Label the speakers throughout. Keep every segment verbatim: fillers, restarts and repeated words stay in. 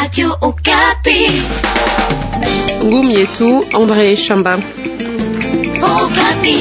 Speaker 1: Radio Okapi.
Speaker 2: Ngumi yetu André Shamba.
Speaker 1: Okapi.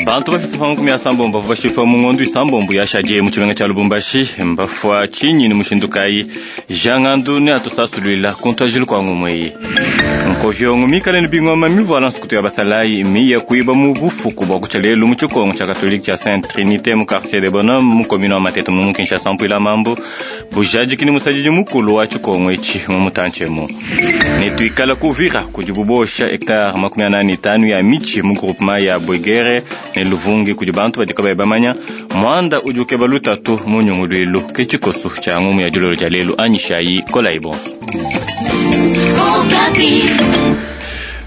Speaker 3: Bantu bafite makumi asambombo bavua bashifa mu ng'ondu isambombo yashadie mu tshimenga tshia Lubumbashi mbafua tshinyi ni mushindu kayi jangandu ne atusasulwila kuntuajilu kwa ngumweyi nkovyongo mikale ni bingoma mivuala nsukutu ya basalayi miye kuiba mu bufuku bwa kutsha lelu mu tshikongo tshia katolike tshia Sainte Trinité mu quartier de Bonhomme mu commune wa Matete mu Kinshasa mpuila mambo bujadiki ni musadidi mukulu wa tshikongo etshi mu mutantshemu ne tuikala kuvira kudi bubosha hectare makumi anani tanu ya michi mu groupement ya Bwegere ne Luvungi kudi bantu badi kabayi bamanya mwanda udi ukeba lutatu mu nyungulwilu ke tshikoso tshia ngumu ya dilolo dia lelu anyishayi kolayi bonso.
Speaker 1: Okapi.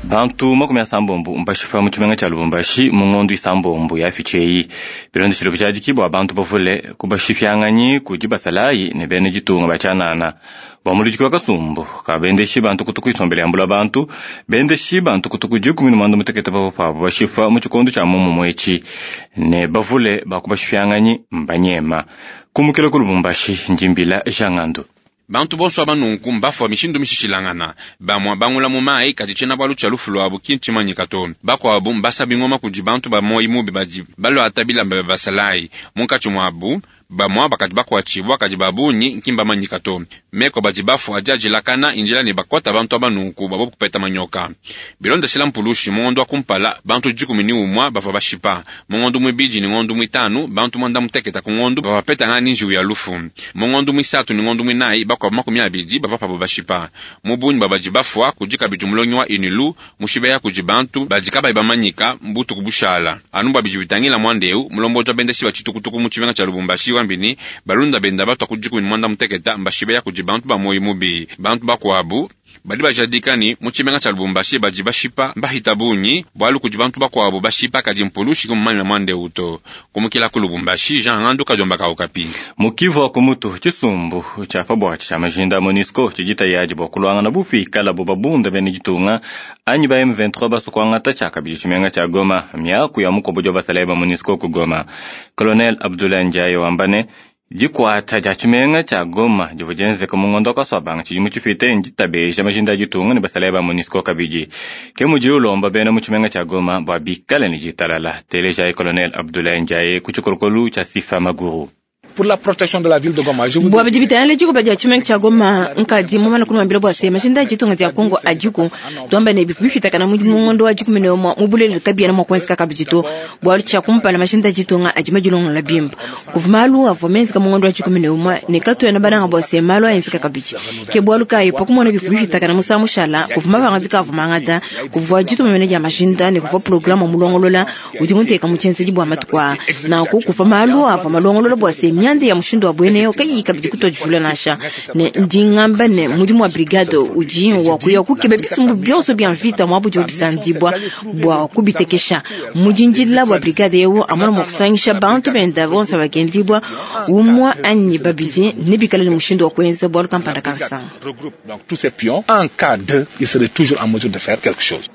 Speaker 3: Bantu makumi asambombo mbashifa mu tshimenga tshia Lubumbashi mu ng'ondu isambombo ya ficheyi bilondeshile bujadiki bwa bantu bavule kubashifyanganyi kudi basalayi ne bene ditunga batshianana bua muludiki wa kasumbu kabendeshi bantu kutu kuisombela yambula bantu bendeshi bantu kutu ku dikumi ne muanda mutekete bavua pabo bashifa mu tshikondo tshia momumue etshi ne bavule bakubashifyanganyi mbanyema kumukila ku Lubumbashi njimbila Jangandu.
Speaker 4: Bantu bonso aba nunku mbafua mishindu mishishilangana bamua bangula mu mayi kadi tshiena bualu tshia lufu lwabu ki ntshimanyika to bakuabu mbasa bingoma kudi bantu ba moyi mubi badi baluata bilamba bya basalayi munkatshi muabu bamua bakadi bakuatshibua kadi babunyi nki mbamanyika to meko badi bafua adi adilakana injila ne bakuata bantu aba nunku babo kupeta manyoka bilondeshela mpulushi mu ngondo wa kumpala bantu dikumi ni umua bavua bashipa mu ngondo muibidi ni ngondo muitanu bantu mwanda muteketa ku ngondo bavua bapetangana ni njiwu ya lufu mu ngondo muisatu ni ngondo muinayi bakuabu makumi abidi bavua pabo bashipa mu bunyi bua badi bafua kudi kabidi mulongi wa unilu mushibeya kudi bantu badi kabayi bamanyika mbutuku bushala anu bua bidi bitangila mwanda eu mulombodi wa bendeshi ba tshitukutuku mu tshimenga tshia Lubumbashi wambini balunda benda batwa ku dikumi ni mwanda muteketa mbashibeya kudi bantu ba moyi mubi bantu bakuabu badi bajadika ni mu tshimenga tshia Lubumbashi badi bashipa mbahita bunyi bualu kudi bantu bakuabu bashipa kadi mpulushi kumumanya mwanda eu to kumukila ku Lubumbashi Jean Ngandu kadiomba ka Okapi.
Speaker 3: Mukivu wa kumutu tshisumbu tshia pabuatshi tshia majinda MONUSCO tshidita yadi bua kuluangana bufikala bo babunda bene ditunga anyi ba M vingt-trois basukuangata tshia kabidi tshimenga tshia Goma miaku ya mukobodi wa basalayi ba MONUSCO ku Goma Colonel Abdoulaye Ndiaye wambane dikuata dia tshimenga tshia Goma divua dienzeka mu ngondo wa kaswabanga tshidimu tshipite nditabeja majinda a ditunga ne basalayi ba MONUSCO kabidi ke mudi ulomba bena mu tshimenga tshia Goma bua bikale ne ditalala telejayi Colonel Abdoulaye Ndiaye ku tshikolokolu tshia Sifa Maguru.
Speaker 5: Pour la protection de la ville de Goma. Je vous
Speaker 6: bua bidi bitangila dikuba dia tshimenga tshia Goma nkadi mumana kunuambila bua se majinda a ditunga dia Kongo adiku tuamba ne bifu bifitakana mu ngondo wa dikumi ne umue mu bulelele kabiena mua kuenzeka kabidi to bualu tshia kumpala majinda a ditunga adi madilongolola bimpe kuva malu avua menzeka mu ngondo wa dikumi ne umue ne katuena bananga bua se malu aenzeka kabidi ke bualu kayi pa kumona bifu bifitakana musangu mushala kuva mapangadika avua mangata kuvua dituma mene dia majinda ne kuvua programa mulongolola udi muteka mu tshienzedi bua matuku aa nanku kuva malu avua malongolola bua se mianda ya mushindu wa bwene kayi kabidi kutodivula nansha ne ndingamba ne mudimu wa brigade udi wa kuya kukeba bisumbu bionso bia mvita mwa budi bisandibwa bua kubitekesha mudindila bua brigade eu amona mua kusangisha bantu benda bonso bagendibwa umwa anyi babidi ne bikale ne mushindu wa kuenza bualu kampanda kansanga.
Speaker 5: Regroupe donc tous ces pions. En cas de, il serait toujours en mesure de faire quelque chose.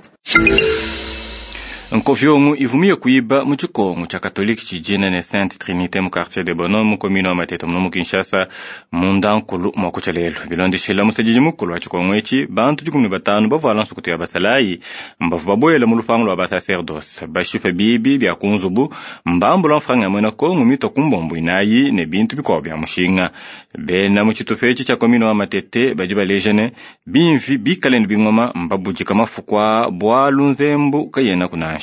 Speaker 3: Nkovyongo ivumie kuiba mu tshikongo tshia katolike tshidina ne Sainte Trinité mu quartier de Bonhomme mu commune wa Matete muno mu Kinshasa munda nkulu mua kutsha lelu bilondeshela musadidi mukulu wa tshikongo etshi bantu dikumi ne batanu bavuala nsukutu ya basalayi mbavu babuela mu lupangu lua basacerdoce bashipa bibi bia ku nzubu mbambula mfranga ya muena Kongo mitua ku mbombo inayi ne bintu bikuabu bia mushinga bena mu tshitupa etshi tshia commune wa Matete badi baleja ne bimvi bikale ne bingoma mbabudika mafuku a bualu nzembu kayena kunanshi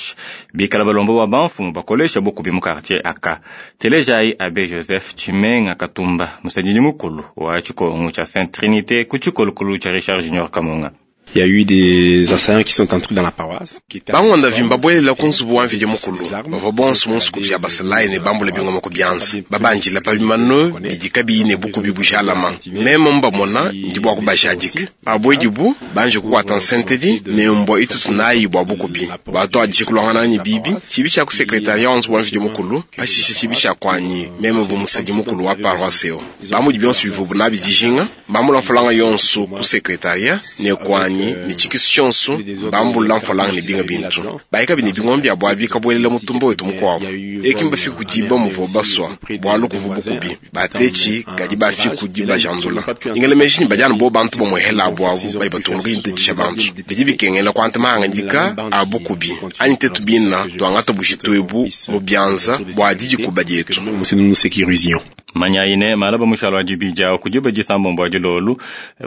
Speaker 3: bikala balombo ba bamfumu bakolesha bukubi mu quartier aka telejayi abe Joseph Tshimenga Katumba musadidi mukulu wa tshikongo tshia Sainte Trinité ku tshikolokolo tshia Richard Junior Kamunga.
Speaker 7: Il y a eu des assaillants qui sont entrés dans la paroisse.
Speaker 8: Bang'onda vimba bwelela ku nzubu wa mvidi mukulu bavua bonso mu nsuku bya basalayi ne bambula bingoma ku byanza babanjila pa bimano bidi kabiyi ne bukubi bujalama meme mbamona ndi bua kubajadika pabwedibu banje kukwata nsentedi ne mbwa itutu nayi bua bukubi batwadije kulwangana nyi bibi tshibi tshia ku sekretaria wa nzubu wa mvidi mukulu pashishe tshibi tshia kwanyi meme bu musadi mukulu wa paroisse yo bamudi bionso bivubu nabi dijinga mbambula mfulanga yonso ku sekretaria ne kwanyi bungi ne tshikisu tshionso bambulula mfalanga ne binga bintu bayikabi ne bingoma bya bwabi kabuelela mutumba wetu mukuabu eki mbafi kudiba muvo baswa bwalu kuvu bukubi batechi kadi bafi kudiba jandula ingele meji ni bajana bo bantu bamwehela abo abo bayi batunguka yintetisha bantu bidi bikengela kwanta mahangandika abukubi anyi tetu bina twangata bujitu ebu mu byanza bwa didikuba dietu.
Speaker 7: Nous nous sécurisions.
Speaker 3: Manyaine malaba mushalo wa dibija kudiba disambombo wa dilolu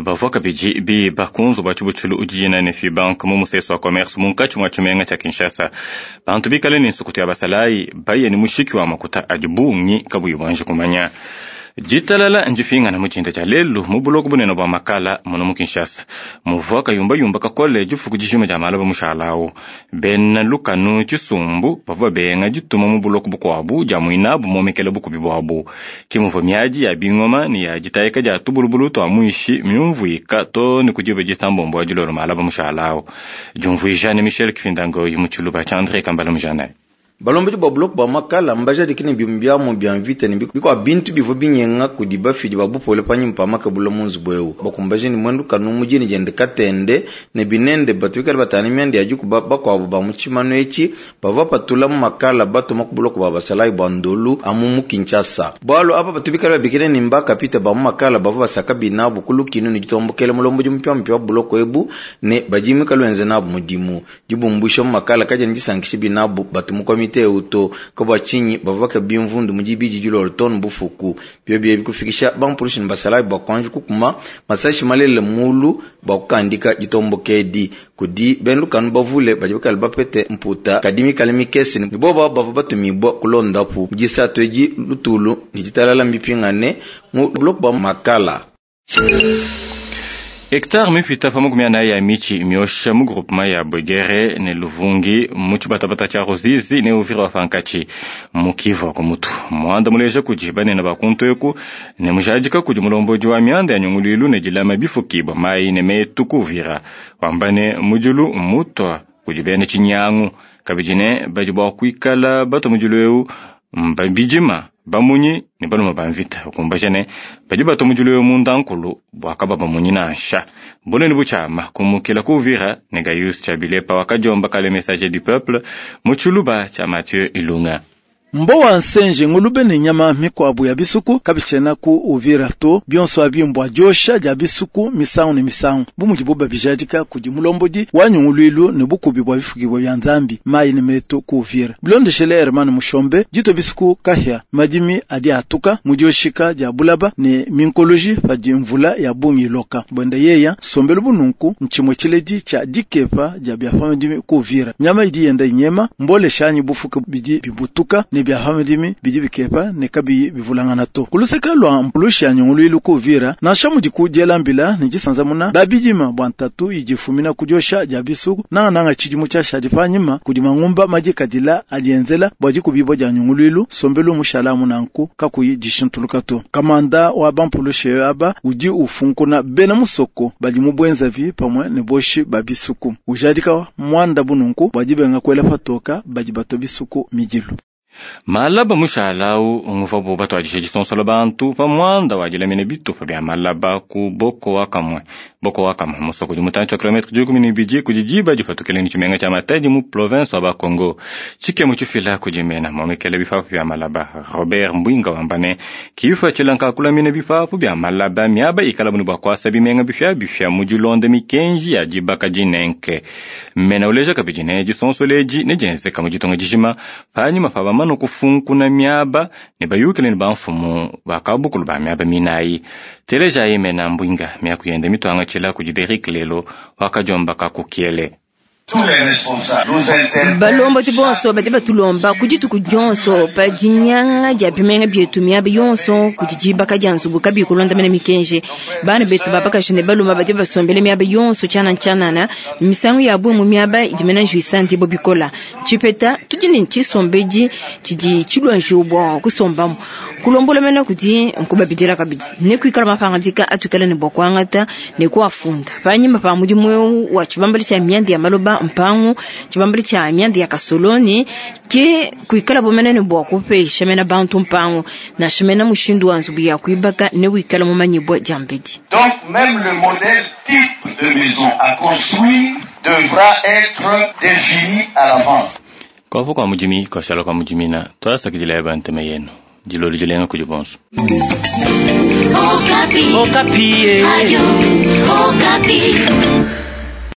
Speaker 3: bavua kabidi biba kunzu bwa tshibutshilu udijina ne Fibank mu museso wa commerce munkatshi mua tshimenga tshia Kinshasa. Bantu bikale ne nsukutu ya basalayi baye ni mushiki wa makuta adi bungi kabuyi bwanji kumanya. Jitalala njifingana muchinda cha lelu mu buloko bunene bwa makala muno mu Kinshasa. Muvua kayumbayumba kakole difuku dijima dia malaba mushalawu. Bena lukanu tshisumbu bavua benga dituma mu buloko bukuabu dia muinabu momekele bukubi bwabu. Kimuvua miadi ya bingoma ni ya jitayika dia tubulubulu twa muishi myumvuika to ni kudiba disambombo wa dilolo malaba mushalawu. Jumvuija ne Michel Kifindango mu tshiluba tsha André Kambala Mujana.
Speaker 9: Balombodi bwa buloko bwa makala mbajadiki bimu byamu bya mvita ne bikwa bintu bivua binyenga kudi bafidi ba bupole panyima pa makabula mu nzubu eu bakumbaje ni mwendu kanu mujini jende katende ne binende batu bikale batana myanda ya dikuba bakuabu ba mu tshimanu etshi bavua patula mu makala batuma ku buloko bwa basalayi bwa ndolu amu mu Kinshasa. Bwalu apa batu bikale babikile ni mbaka pita ba mu makala bavua basaka binabu ku lukinu ne ditombokele mulombodi mupyampya wa buloko ebu ne badimi kaluenze nabu mudimu dibumbusha mu makala kaja ndisankisha binabu batu mu komite uto kabwa chinyi bavaka bimvundu mujibiji julolo ton bufuku byobye bikufikisha bampurushi basalayi bakwanju kukuma masashi malele mulu bakukandika jitombokedi kudi benlukanu bavule bajibakali bapete mputa kadimi kalimi kesi ni boba bava batumibwa kulondapu mujisatu eji lutulu ni jitalala mbipingane mu blok ba makala.
Speaker 3: Hectare mipita pa makumi anayi ya michi myosha mu groupement ya Bwegere ne Luvungi mu tshibatabata tshia Ruzizi ne Uvira wa pankatshi mu Kivu wa kumutu. Muanda muleja kudi banene ba kuntu eku ne mujadika kudi mulombodi wa mianda ya nyunguluilu ne dilama bifukibwa mayi ne metu ku Uvira wamba ne mujulu mutwa kudi bene tshinyangu kabidi ne badi bua kuikala bato mujulu eu mbabidima bamunyi ne baluma ba mvita ukumbaja ne badi bato mujulu eu mundankulu bwakaba bamunyi nansha bunene butshiama kumukila ku Uvira ne Gaius Tshabilepa wakadiomba kale Messager du Peuple mu tshiluba tshia Mathieu Ilunga.
Speaker 10: Mbowa nsenje ngulube ne nyama mikwabu ya bisuku kabitshena ku Uvira to bionso abimbwa josha ja bisuku misangu ne misangu bumuji buba bijadika kudi mulombodi wa nyunguluilu ne bukubi bwa bifukibwa bya nzambi mayi ne meto ku Uvira bilondeshele Herman Mushombe jito bisuku kahya madimi adi atuka mujoshika ja bulaba ne minkoloji padi mvula ya bungi loka bwenda yeya sombelu bununku nchimwe chiledi cha dikepa ja bya famidimi ku Uvira nyama idi yenda inyema mbole shanyi bufuka bidi bibutuka ne bya hamidimi bidi bikepa ne kabiyi bivulangana to kuluseka lwa mpulushi ya nyunguluilu ku Uvira nansha mudi kudielambila ne disanzamuna babidima bwa ntatu idifumina kudiosha dia bisuku nangananga tshidimu tshiashadi panyima kudi mangumba madikadila adienzela bua dikubibua dia nyunguluilu sombelu mushala munanku kakuyi dishintuluka to kamanda wa bampulushi aba udi ufunkuna bena musoko badi mu bwenzavi pamwe ne boshi ba bisuku ujadika mwanda bununku bua dibenga kuela patoka badi bato bisuku midilu.
Speaker 3: Malaba mushalau nguvabu batwadishe disonsola bantu pa muanda wa dilamina bitupa bya malaba ku boko wakamwe boko wakamwe musoko di mutantshi wa kilometre dikumi ne ibidi kudi diba dipatukile ni tshimenga tshia Matadi mu province wa Bakongo tshikemu tshifila kudi mena momekele bipapu bya malaba Robert Mbwinga wamba ne kifa tshilanka kulamina bipapu bya malaba miaba ikala bunu bua kuasa bimenga bifya bifya mu dilonda mikenji ya dibaka dinenke mena uleja kabidi ne disonsola edi ne dienzeka mu ditonga dijima panyima pa bamanu kufunkuna miaba ne bayukile ne bamfumu bakabukulu ba miaba minayi teleja imena mbwinga miakuyenda mitwanga tshila kudi Derek lelo wakadiomba kakukiele.
Speaker 6: Balombodi bonso badi batulomba ku dituku dionso pa dinyanga dia bimenga bietu miaba yonso kudi dibaka dia nzubu kabiyi kulondamena mikenji. Bana betu babakaji ne baluma badi basombele miaba yonso tshianana tshianana misangu ya bue mu miaba idi mena njuisa ndibo bikola tshipeta tudi ne tshisombedi tshidi tshilua njiwu bua kusombamu. Kulombola mena kudi nkubabidila kabidi ne kuikala mapangadika atuikala ne bua kuangata ne kuafunda panyima pa mudimu eu wa tshibambalu tshia mianda ya maloba mpangu tshibambalu tshia mianda ya kasoloni ke kuikala bomena ne bua kupesha mena bantu mpangu nansha mena mushindu wa nzubu ya kuibaka ne wikala mumanyibua dia mbedi.
Speaker 11: Donc même le modèle type de maison à construire devra être défini à l'avance.
Speaker 3: Kopo kwa mujimi koshala kwa mujimina twasakidila ya banteme yenu dilolo dilenga kudi bonso.
Speaker 1: Okapi. Okapi. Radio Okapi.